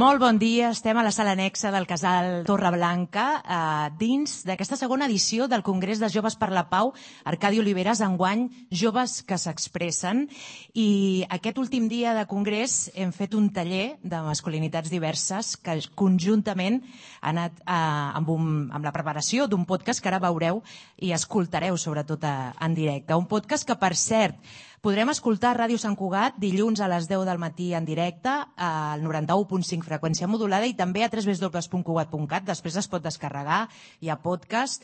Molt bon dia, estem a la sala anexa del Casal Torreblanca dins d'aquesta segona edició del Congrés de Joves per la Pau, Arcadi Oliveres, enguany Joves que s'expressen, i aquest últim dia de congrés hem fet un taller de masculinitats diverses que conjuntament ha anat amb la preparació d'un podcast que ara veureu i escoltareu sobretot en directe. Un podcast que, per cert, podrem escoltar a Ràdio Sant Cugat dilluns a les 10 del matí en directe al 91.5 freqüència modulada i també a www.cugat.cat. Després es pot descarregar, hi ha podcast.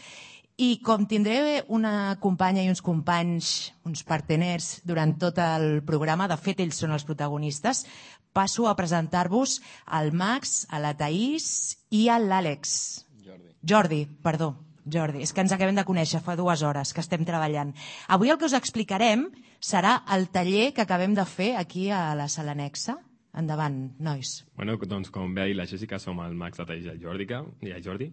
I com tindré una companya i uns companys, uns parteners durant tot el programa, de fet ells són els protagonistes, passo a presentar-vos al Max, a la Thaís i a l'Àlex. Jordi, és que ens acabem de conèixer fa 2 hores que estem treballant. Avui el que us explicarem serà el taller que acabem de fer aquí a la sala anexa. Endavant, nois. Bueno, doncs com bé ha dit la Jessica, som el Max, la Thaís i el Jordi,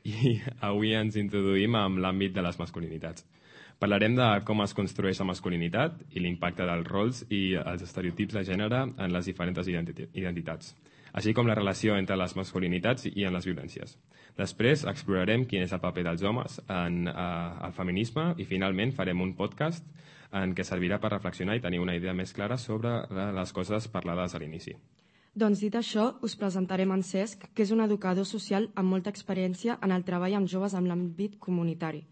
i avui ens introduïm amb l'àmbit de les masculinitats. Parlarem de com es construeix la masculinitat i l'impacte dels rols i els estereotips de gènere en les diferents identitats, així com la relació entre les masculinitats i en les violències. Després explorarem quin és el paper dels homes en el feminisme i finalment farem un podcast en què servirà per reflexionar i tenir una idea més clara sobre les coses parlades a l'inici. Doncs dit això, us presentarem en Cesc, que és un educador social amb molta experiència en el treball amb joves en l'àmbit comunitari.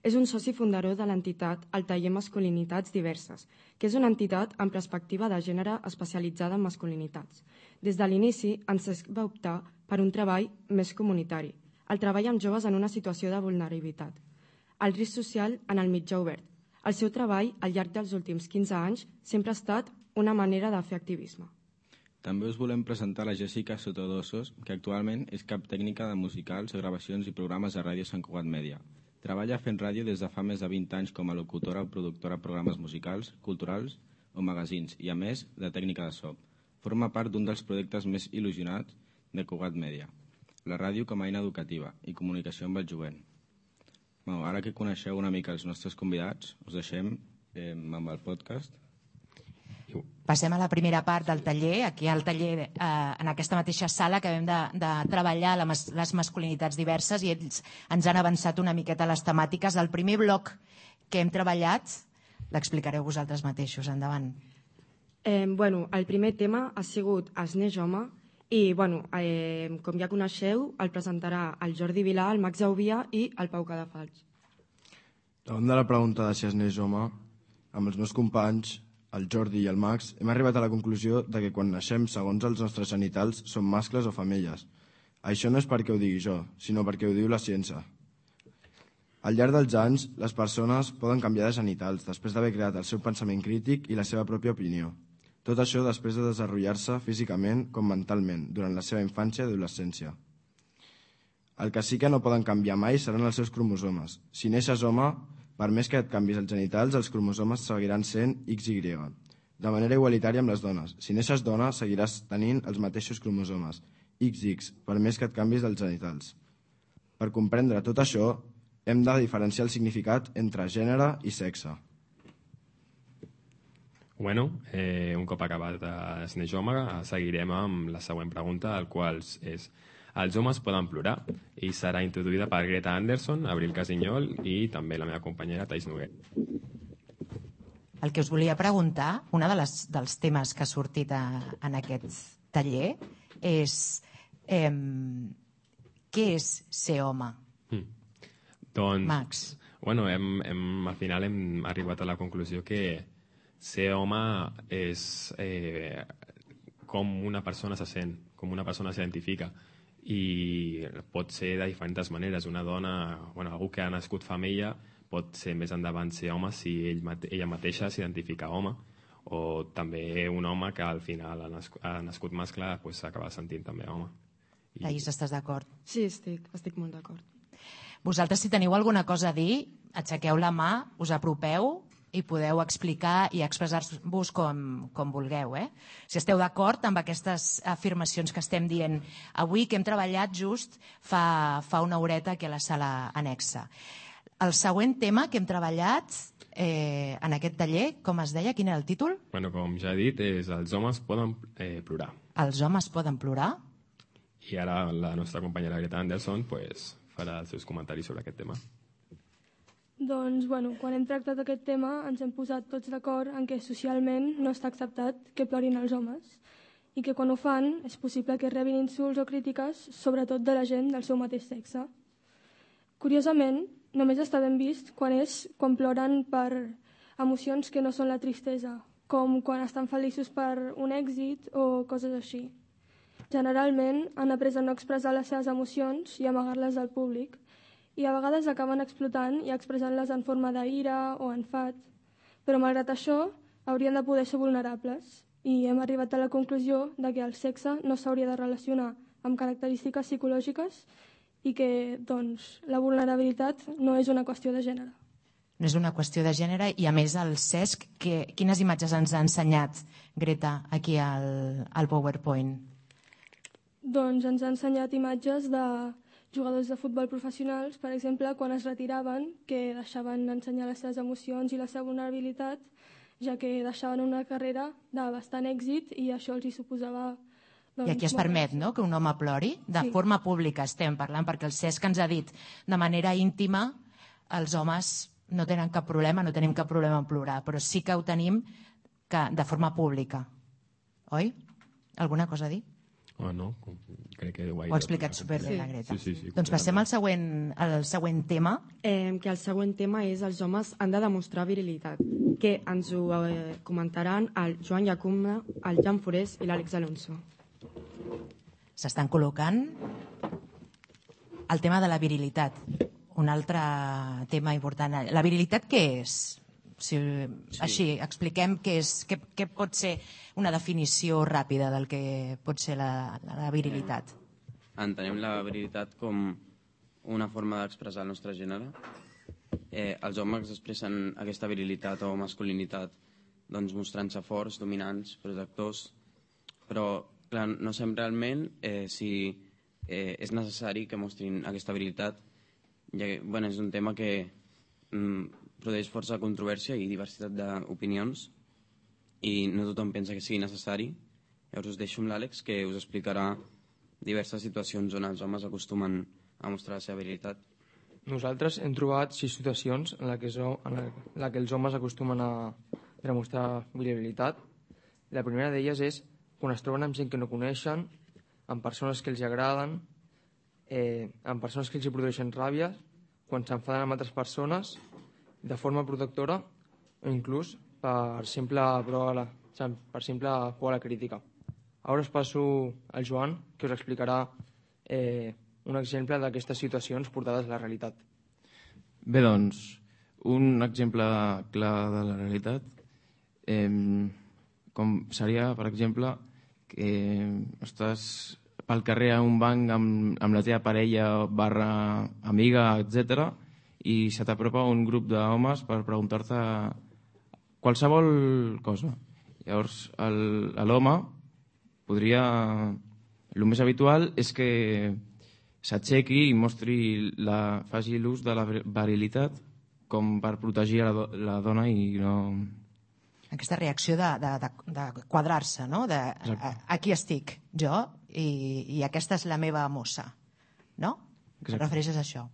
És un soci fundador de l'entitat El Taller Masculinitats Diverses, que és una entitat amb perspectiva de gènere especialitzada en masculinitats. Des de l'inici, en Cesc va optar per un treball més comunitari, el treball amb joves en una situació de vulnerabilitat, el risc social en el mitjà obert. El seu treball, al llarg dels últims 15 anys, sempre ha estat una manera de fer activisme. També us volem presentar la Jessica Sotodosos, que actualment és cap tècnica de musicals, gravacions i programes de Ràdio Sant Cugat Mèdia. Treballa fent ràdio des de fa més de 20 anys com a locutora o productora de programes musicals, culturals o magazins i, a més, de tècnica de so. Forma part d'un dels projectes més il·lusionats de Cugat Mèdia, la ràdio com a eina educativa i comunicació amb el jovent. Bueno, ara que coneixeu una mica els nostres convidats, us deixem amb el podcast. Passem a la primera part del taller, aquí al taller, en aquesta mateixa sala que vam de treballar les masculinitats diverses, i ells ens han avançat una miqueta les temàtiques. El primer bloc que hem treballat l'explicareu vosaltres mateixos. Endavant. El primer tema ha sigut Es neix home i, com ja coneixeu, el presentarà el Jordi Vilà, el Max Aubia i el Pau Cadafalls. Davant de la pregunta de si es neix home, amb els meus companys, el Jordi i el Max, hem arribat a la conclusió de que quan naixem, segons els nostres genitals, som mascles o femelles. Això no és perquè ho digui jo, sinó perquè ho diu la ciència. Al llarg dels anys, les persones poden canviar de genitals després d'haver creat el seu pensament crític i la seva pròpia opinió. Tot això després de desenvolupar-se físicament com mentalment durant la seva infància i adolescència. El que sí que no poden canviar mai seran els seus cromosomes. Si neixes home, per més que et canvis els genitals, els cromosomes seguiran sent XY, de manera igualitària amb les dones. Si neixes dona, seguiràs tenint els mateixos cromosomes, XX, per més que et canvis els genitals. Per comprendre tot això, hem de diferenciar el significat entre gènere i sexe. Un cop acabat Es neix home, seguirem amb la següent pregunta, el qual és: els homes poden plorar? I serà introduïda per Greta Anderson, Abril Casinyol i també la meva companyera Thaís Noguer. El que us volia preguntar, un dels temes que ha sortit en aquest taller és què és ser home? Doncs, Max. Al final hem arribat a la conclusió que ser home és com una persona se sent, com una persona s'identifica, i pot ser de diferents maneres. Una dona, algú que ha nascut femella, pot ser més endavant ser home si ella mateixa s'identifica home, o també un home que al final ha nascut mascle s'acaba sentint també home. Thaís, estàs d'acord? Sí, estic molt d'acord. Vosaltres, si teniu alguna cosa a dir, aixequeu la mà, us apropeu i podeu explicar i expressar-vos com vulgueu. Si esteu d'acord amb aquestes afirmacions que estem dient avui, que hem treballat just fa una horeta aquí a la sala anexa. El següent tema que hem treballat en aquest taller, com es deia? Quin era el títol? Com ja he dit, és Els homes poden plorar. Els homes poden plorar? I ara la nostra companyera Greta Anderson pues, farà els seus comentaris sobre aquest tema. Doncs, quan hem tractat aquest tema ens hem posat tots d'acord en què socialment no està acceptat que plorin els homes i que quan ho fan és possible que rebin insults o crítiques, sobretot de la gent del seu mateix sexe. Curiosament, només està ben vist quan ploren per emocions que no són la tristesa, com quan estan feliços per un èxit o coses així. Generalment han après a no expressar les seves emocions i amagar-les al públic, i a vegades acaben explotant i expressant-les en forma d'ira o enfat, però malgrat això haurien de poder ser vulnerables i hem arribat a la conclusió de que el sexe no s'hauria de relacionar amb característiques psicològiques i que doncs, la vulnerabilitat no és una qüestió de gènere. No és una qüestió de gènere i a més el Cesc, quines imatges ens ha ensenyat Greta aquí al PowerPoint? Doncs ens ha ensenyat imatges de jugadors de futbol professionals, per exemple, quan es retiraven, que deixaven ensenyar les seves emocions i la seva vulnerabilitat, ja que deixaven una carrera de bastant èxit i això els hi suposava... Doncs, I aquí es permet, no?, que un home plori de forma pública, estem parlant, perquè el Cesc ens ha dit de manera íntima els homes no tenen cap problema, no tenim cap problema en plorar, però sí que ho tenim de forma pública. Oi? Alguna cosa a dir? No, crec que ho ha explicat superbé la Greta. Sí. Doncs passem al següent tema. Que el següent tema és els homes han de demostrar virilitat, que ens ho comentaran el Joan Llacuna, el Jan Forés i l'Àlex Alonso. S'estan col·locant el tema de la virilitat, un altre tema important. La virilitat què és? Així, expliquem què pot ser una definició ràpida del que pot ser la virilitat. Entenem la virilitat com una forma d'expressar el nostre gènere. Els homes expressen aquesta virilitat o masculinitat doncs, mostrant-se forts, dominants, protectors, però clar, no sabem realment si és necessari que mostrin aquesta virilitat, ja que és un tema que produeix força controvèrsia i diversitat d'opinions i no tothom pensa que sigui necessari. Llavors us deixo amb l'Àlex, que us explicarà diverses situacions on els homes acostumen a mostrar la seva virilitat. Nosaltres hem trobat 6 situacions en la que els homes acostumen a demostrar virilitat. La primera d'elles és quan es troben amb gent que no coneixen, amb persones que els agraden, amb persones que els produeixen ràbia, quan s'enfaden amb altres persones, de forma protectora o inclús per simple por a la crítica. Ara us passo al Joan, que us explicarà un exemple d'aquestes situacions portades a la realitat. Bé, doncs, un exemple clar de la realitat com seria, per exemple, que estàs pel carrer a un banc amb la teva parella / amiga, etc., i se t'apropa un grup d'homes per preguntar-te qualsevol cosa. Llavors, l'home podria... El més habitual és que s'aixequi i faci l'ús de la virilitat com per protegir la dona i no... Aquesta reacció de quadrar-se, no? Aquí estic jo i aquesta és la meva mossa, no? Et refereixes a això?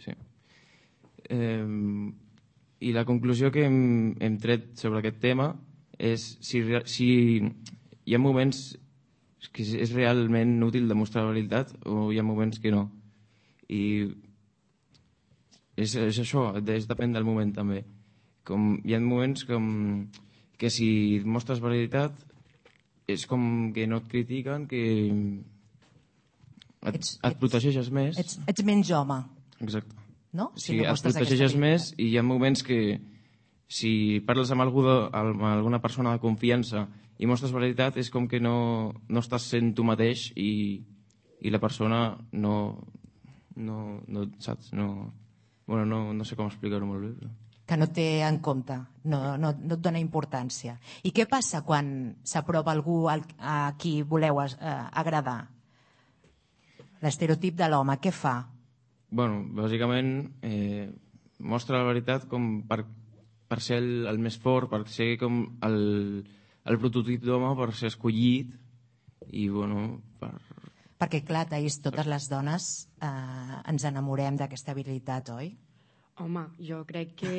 Sí. I la conclusió que hem tret sobre aquest tema és si hi ha moments que és realment útil demostrar la veritat o hi ha moments que no. I és això, depèn del moment també. Hi ha moments que si mostres veritat és com que no et critiquen, que et protegeixes més. Ets menys home. Exacte. No? Si no et protegeixes més i hi ha moments que si parles amb alguna persona de confiança i mostres veritat és com que no estàs sent tu mateix i la persona no saps? No sé com explicar-ho molt bé. Però... Que no té en compte, no et dona importància. I què passa quan s'aprova algú a qui voleu agradar? L'estereotip de l'home, què fa? Bàsicament mostra la veritat com per ser el més fort, per ser com el prototip d'home, per ser escollit i Perquè, clar, Taís, totes les dones ens enamorem d'aquesta habilitat, oi? Home, jo crec que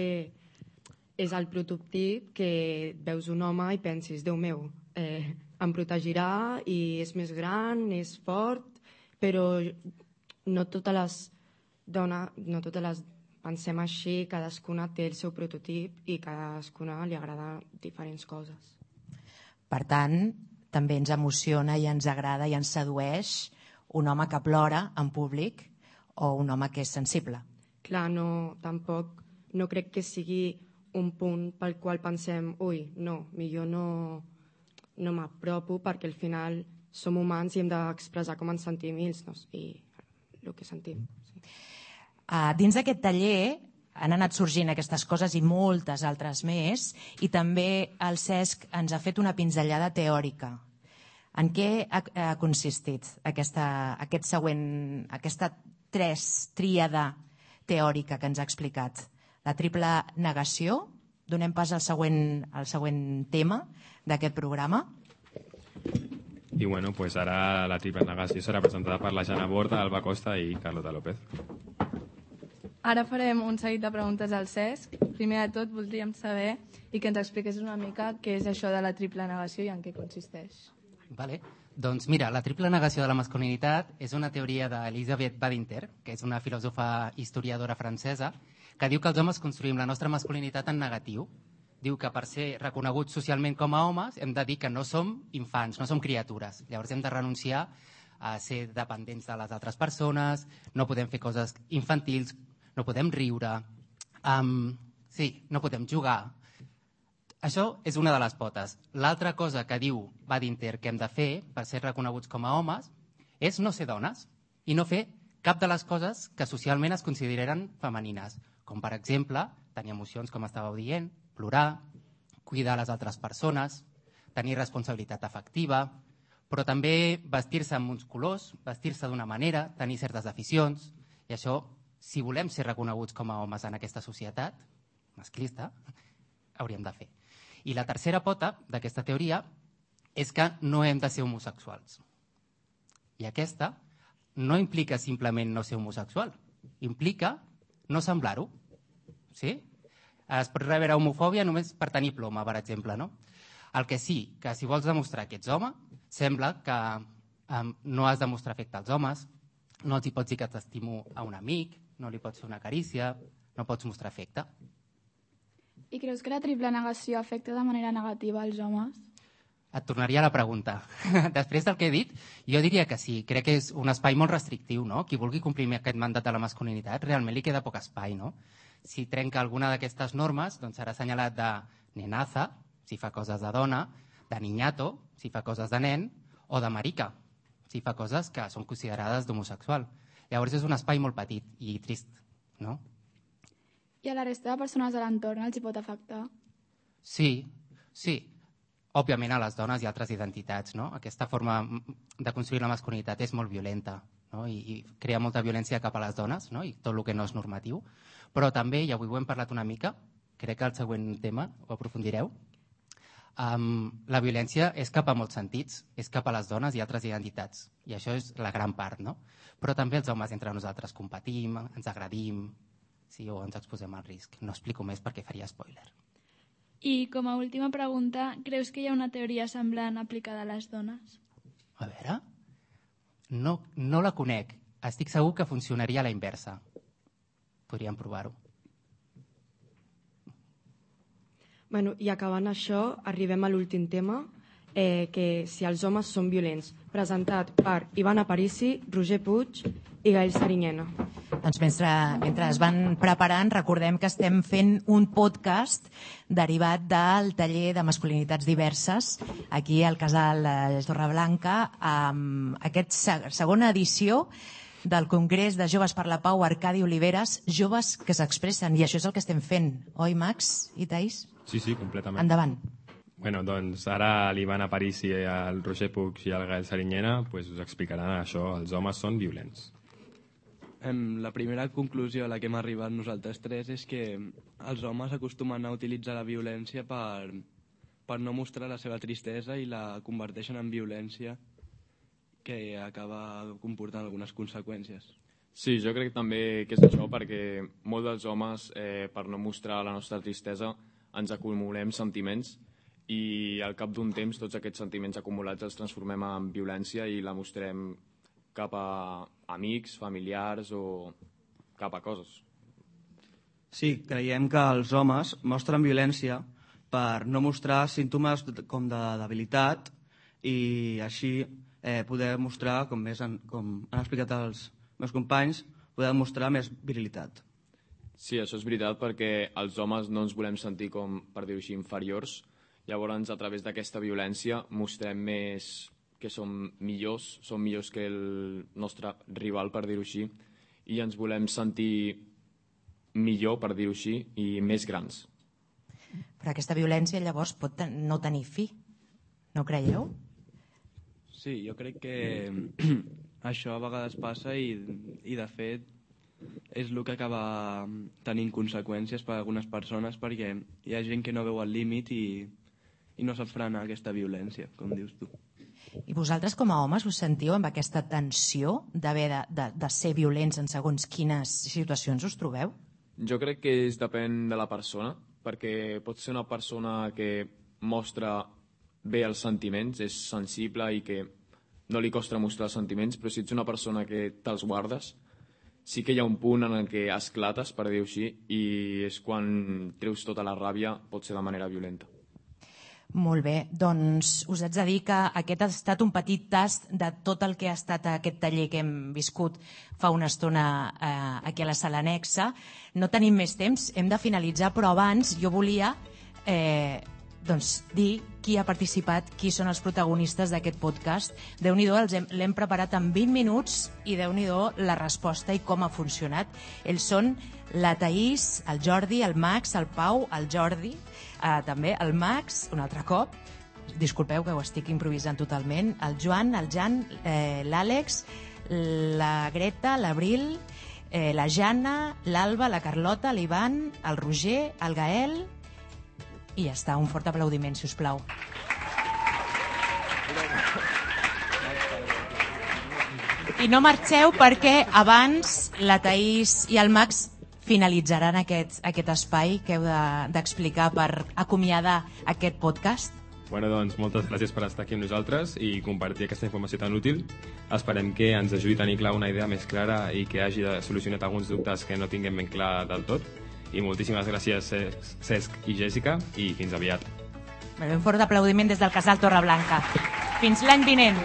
és el prototip que veus un home i pensis, Déu meu, em protegirà i és més gran, és fort, però no totes les dones, no totes les pensem així, cadascuna té el seu prototip i cadascuna li agrada diferents coses. Per tant, també ens emociona i ens agrada i ens sedueix un home que plora en públic o un home que és sensible. Clar, tampoc no crec que sigui un punt pel qual pensem millor no m'apropo perquè al final som humans i hem d'expressar com ens sentim i el que sentim. Sí. Dins d'aquest taller han anat sorgint aquestes coses i moltes altres més, i també el Cesc ens ha fet una pinzellada teòrica. En què ha consistit aquesta tríada teòrica que ens ha explicat? La triple negació. Donem pas al següent tema d'aquest programa. I bueno, pues ara la triple negació serà presentada per la Jana Borda, Alba Costa i Carlota López. Ara farem un seguit de preguntes al Cesc. Primer de tot voldríem saber i que ens expliqués una mica què és això de la triple negació i en què consisteix. Vale. Doncs mira, la triple negació de la masculinitat és una teoria d'Elisabeth Badinter, que és una filòsofa historiadora francesa, que diu que els homes construïm la nostra masculinitat en negatiu. Diu que per ser reconeguts socialment com a homes hem de dir que no som infants, no som criatures. Llavors hem de renunciar a ser dependents de les altres persones, no podem fer coses infantils, no podem riure, no podem jugar. Això és una de les potes. L'altra cosa que diu Badinter que hem de fer per ser reconeguts com a homes és no ser dones i no fer cap de les coses que socialment es consideren femenines, com per exemple tenir emocions, com estàveu dient, plorar, cuidar les altres persones, tenir responsabilitat afectiva, però també vestir-se amb uns colors, vestir-se d'una manera, tenir certes aficions, i això, si volem ser reconeguts com a homes en aquesta societat masclista, hauríem de fer. I la tercera pota d'aquesta teoria és que no hem de ser homosexuals. I aquesta no implica simplement no ser homosexual, implica no semblar-ho. Sí? Es pot rebre homofòbia només per tenir ploma, per exemple, no? El que sí, que si vols demostrar que ets home, sembla que no has de mostrar afecte als homes, no els hi pots dir que t'estimo a un amic, no li pots fer una carícia, no pots mostrar afecte. I creus que la triple negació afecta de manera negativa als homes? Et tornaria a la pregunta. Després del que he dit, jo diria que sí. Crec que és un espai molt restrictiu, no? Qui vulgui complir aquest mandat de la masculinitat, realment li queda poc espai, no? Si trenca alguna d'aquestes normes, doncs serà assenyalat de nenaza, si fa coses de dona, de niñato, si fa coses de nen, o de marica, si fa coses que són considerades d'homosexual. Llavors és un espai molt petit i trist, no? I a la resta de persones de l'entorn els hi pot afectar? Sí. Òbviament a les dones i altres identitats, no? Aquesta forma de construir la masculinitat és molt violenta, no? I crea molta violència cap a les dones, no? I tot el que no és normatiu. Però també, i avui ho hem parlat una mica, crec que el següent tema ho aprofundireu, la violència és cap a molts sentits, és cap a les dones i altres identitats. I això és la gran part, no? Però també els homes entre nosaltres competim, ens agredim, sí, o ens exposem al risc. No explico més perquè faria spoiler. I com a última pregunta, creus que hi ha una teoria semblant aplicada a les dones? A veure, no la conec. Estic segur que funcionaria a la inversa. Podríem provar-ho. Bueno, i acabant això, arribem a l'últim tema, que si els homes són violents, presentat per Ivan Aparici, Roger Puig i Gael Sariñena. Doncs mentre es van preparant, recordem que estem fent un podcast derivat del taller de masculinitats diverses aquí al Casal Torreblanca, amb aquesta segona edició del Congrés de Joves per la Pau Arcadi Oliveres, joves que s'expressen, i això és el que estem fent, oi, Max i Taís? Sí, completament. Endavant. Bueno, doncs ara l'Ivan Aparici, el Roger Puig i el Gael Sariñena us explicaran això, els homes són violents. La primera conclusió a la que hem arribat nosaltres tres és que els homes acostumen a utilitzar la violència per no mostrar la seva tristesa i la converteixen en violència que acaba comportant algunes conseqüències. Sí, jo crec també que és això, perquè molts dels homes, per no mostrar la nostra tristesa, ens acumulem sentiments i al cap d'un temps tots aquests sentiments acumulats els transformem en violència i la mostrem cap a amics, familiars o cap a coses. Sí, creiem que els homes mostren violència per no mostrar símptomes com de debilitat i així poder mostrar, com han explicat els meus companys, poder mostrar més virilitat. Sí, això és veritat, perquè els homes no ens volem sentir, com per dir-ho així, inferiors. Llavors, a través d'aquesta violència mostrem més que som millors que el nostre rival, per dir-ho així, i ens volem sentir millor, per dir-ho així, i més grans. Però aquesta violència llavors pot no tenir fi, no creieu? Sí, jo crec que això a vegades passa i de fet és el que acaba tenint conseqüències per a algunes persones, perquè hi ha gent que no veu el límit i no sap frenar aquesta violència, com dius tu. I vosaltres com a homes us sentiu amb aquesta tensió d'haver de ser violents en segons quines situacions us trobeu? Jo crec que depèn de la persona, perquè pot ser una persona que mostra bé els sentiments, és sensible i que no li costa mostrar els sentiments, però si ets una persona que te'ls guardes, sí que hi ha un punt en el que esclates, per dir-ho així, i és quan treus tota la ràbia, pot ser de manera violenta. Molt bé, doncs us haig de dir que aquest ha estat un petit tast de tot el que ha estat aquest taller que hem viscut fa una estona aquí a la sala anexa. No tenim més temps, hem de finalitzar, però abans jo volia dir qui ha participat, qui són els protagonistes d'aquest podcast. Déu-n'hi-do, l'hem preparat en 20 minuts i Déu-n'hi-do la resposta i com ha funcionat. Ells són la Thaís, el Jordi, el Max, el Pau, el Jordi, també el Max, un altre cop, disculpeu que ho estic improvisant totalment, el Joan, el Jan, l'Àlex, la Greta, l'Abril, la Jana, l'Alba, la Carlota, l'Ivan, el Roger, el Gael, i ja està, un fort aplaudiment, si us plau. I no marxeu perquè abans la Thaís i el Max finalitzaran aquest espai que heu d'explicar per acomiadar aquest podcast. Bueno, doncs, moltes gràcies per estar aquí amb nosaltres i compartir aquesta informació tan útil. Esperem que ens ajudi a tenir clar una idea més clara i que hagi solucionat alguns dubtes que no tinguem ben clar del tot. I moltíssimes gràcies, Cesc i Jèssica, i fins aviat. Un fort aplaudiment des del Casal Torreblanca. Fins l'any vinent.